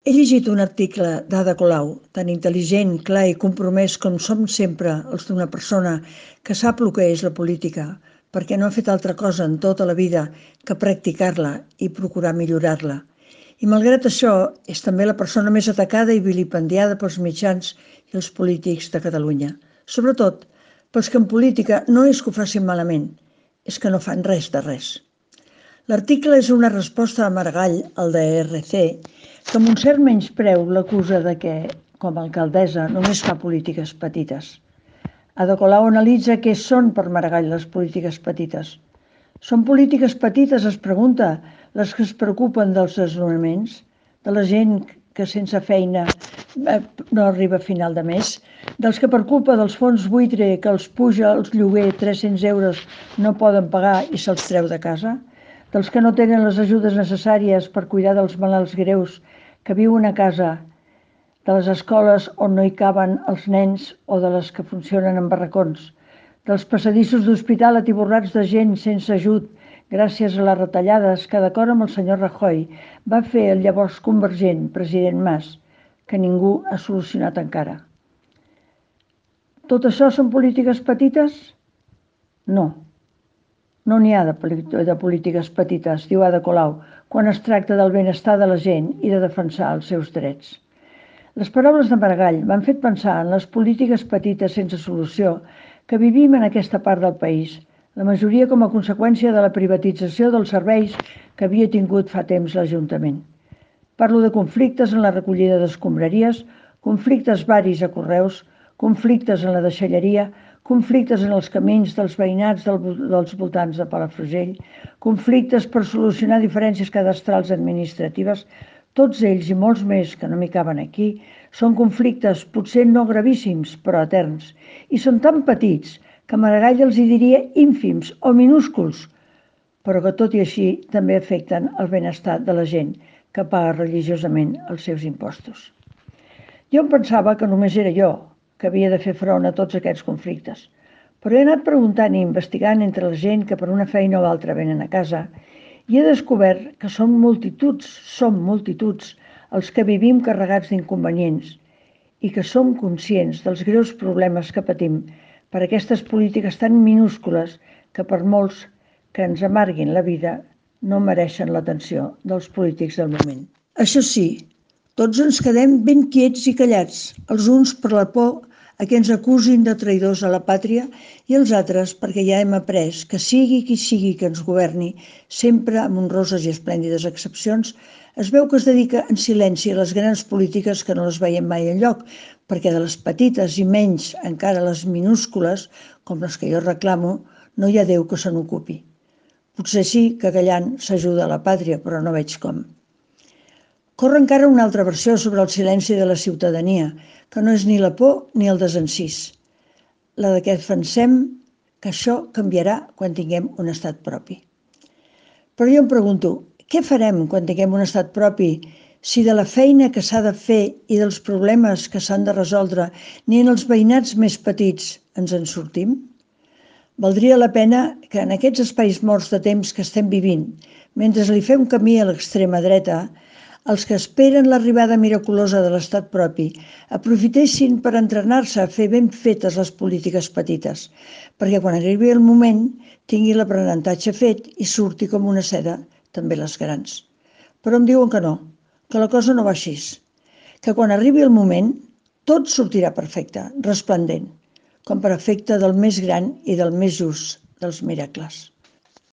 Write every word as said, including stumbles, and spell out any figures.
He llegit un article d'Ada Colau, tan intel·ligent, clar i compromès com som sempre els d'una persona que sap el que és la política, perquè no ha fet altra cosa en tota la vida que practicar-la i procurar millorar-la. I malgrat això, és també la persona més atacada i vilipendiada pels mitjans i els polítics de Catalunya. Sobretot pels que en política no és que ho facin malament, és que no fan res de res. L'article és una resposta a Maragall, el de E R C, que amb un cert menyspreu l'acusa de que, com a alcaldessa, només fa polítiques petites. Ada Colau analitza què són per Maragall les polítiques petites. Són polítiques petites, es pregunta, les que es preocupen dels desnonaments, de la gent que sense feina no arriba a final de mes, dels que per culpa dels fons buitre que els puja els lloguer tres-cents euros no poden pagar i se'ls treu de casa, dels que no tenen les ajudes necessàries per cuidar dels malalts greus que viuen a casa, de les escoles on no hi caben els nens o de les que funcionen en barracons, dels passadissos d'hospital atiborrats de gent sense ajut gràcies a les retallades que, d'acord amb el senyor Rajoy, va fer el llavors convergent president Mas, que ningú ha solucionat encara. Tot això són polítiques petites? No. No n'hi ha de polítiques petites, diu Ada Colau, quan es tracta del benestar de la gent i de defensar els seus drets. Les paraules de Maragall m'han fet pensar en les polítiques petites sense solució que vivim en aquesta part del país, la majoria com a conseqüència de la privatització dels serveis que havia tingut fa temps l'Ajuntament. Parlo de conflictes en la recollida d'escombraries, conflictes varis a correus, conflictes en la deixalleria, conflictes en els camins dels veïnats dels voltants de Palafrugell, conflictes per solucionar diferències cadastrals administratives, tots ells i molts més que no m'hi caben aquí, són conflictes potser no gravíssims, però eterns, i són tan petits que Maragall els hi diria ínfims o minúsculs, però que tot i així també afecten el benestar de la gent que paga religiosament els seus impostos. Jo em pensava que només era jo que havia de fer front a tots aquests conflictes, però he anat preguntant i investigant entre la gent que per una feina o altra venen a casa i he descobert que són multituds, som multituds, els que vivim carregats d'inconvenients i que som conscients dels greus problemes que patim per aquestes polítiques tan minúscules que per molts que ens amarguin la vida no mereixen l'atenció dels polítics del moment. Això sí, tots ens quedem ben quiets i callats, els uns per la por a que ens acusin de traïdors a la pàtria i els altres perquè ja hem après que sigui qui sigui que ens governi, sempre amb honroses i esplèndides excepcions, es veu que es dedica en silenci a les grans polítiques que no les veiem mai enlloc, perquè de les petites i menys encara les minúscules, com les que jo reclamo, no hi ha Déu que se n'ocupi. Potser sí que callant s'ajuda a la pàtria, però no veig com. Corre encara una altra versió sobre el silenci de la ciutadania, que no és ni la por ni el desencís, la de que pensem que això canviarà quan tinguem un estat propi. Però jo em pregunto, què farem quan tinguem un estat propi si de la feina que s'ha de fer i dels problemes que s'han de resoldre ni en els veïnats més petits ens en sortim? Valdria la pena que en aquests espais morts de temps que estem vivint, mentre li fem camí a l'extrema dreta, els que esperen l'arribada miraculosa de l'estat propi aprofitessin per entrenar-se a fer ben fetes les polítiques petites, perquè quan arribi el moment tingui l'aprenentatge fet i surti com una seda també les grans. Però em diuen que no, que la cosa no va així, que quan arribi el moment tot sortirà perfecte, resplendent, com per efecte del més gran i del més just dels miracles.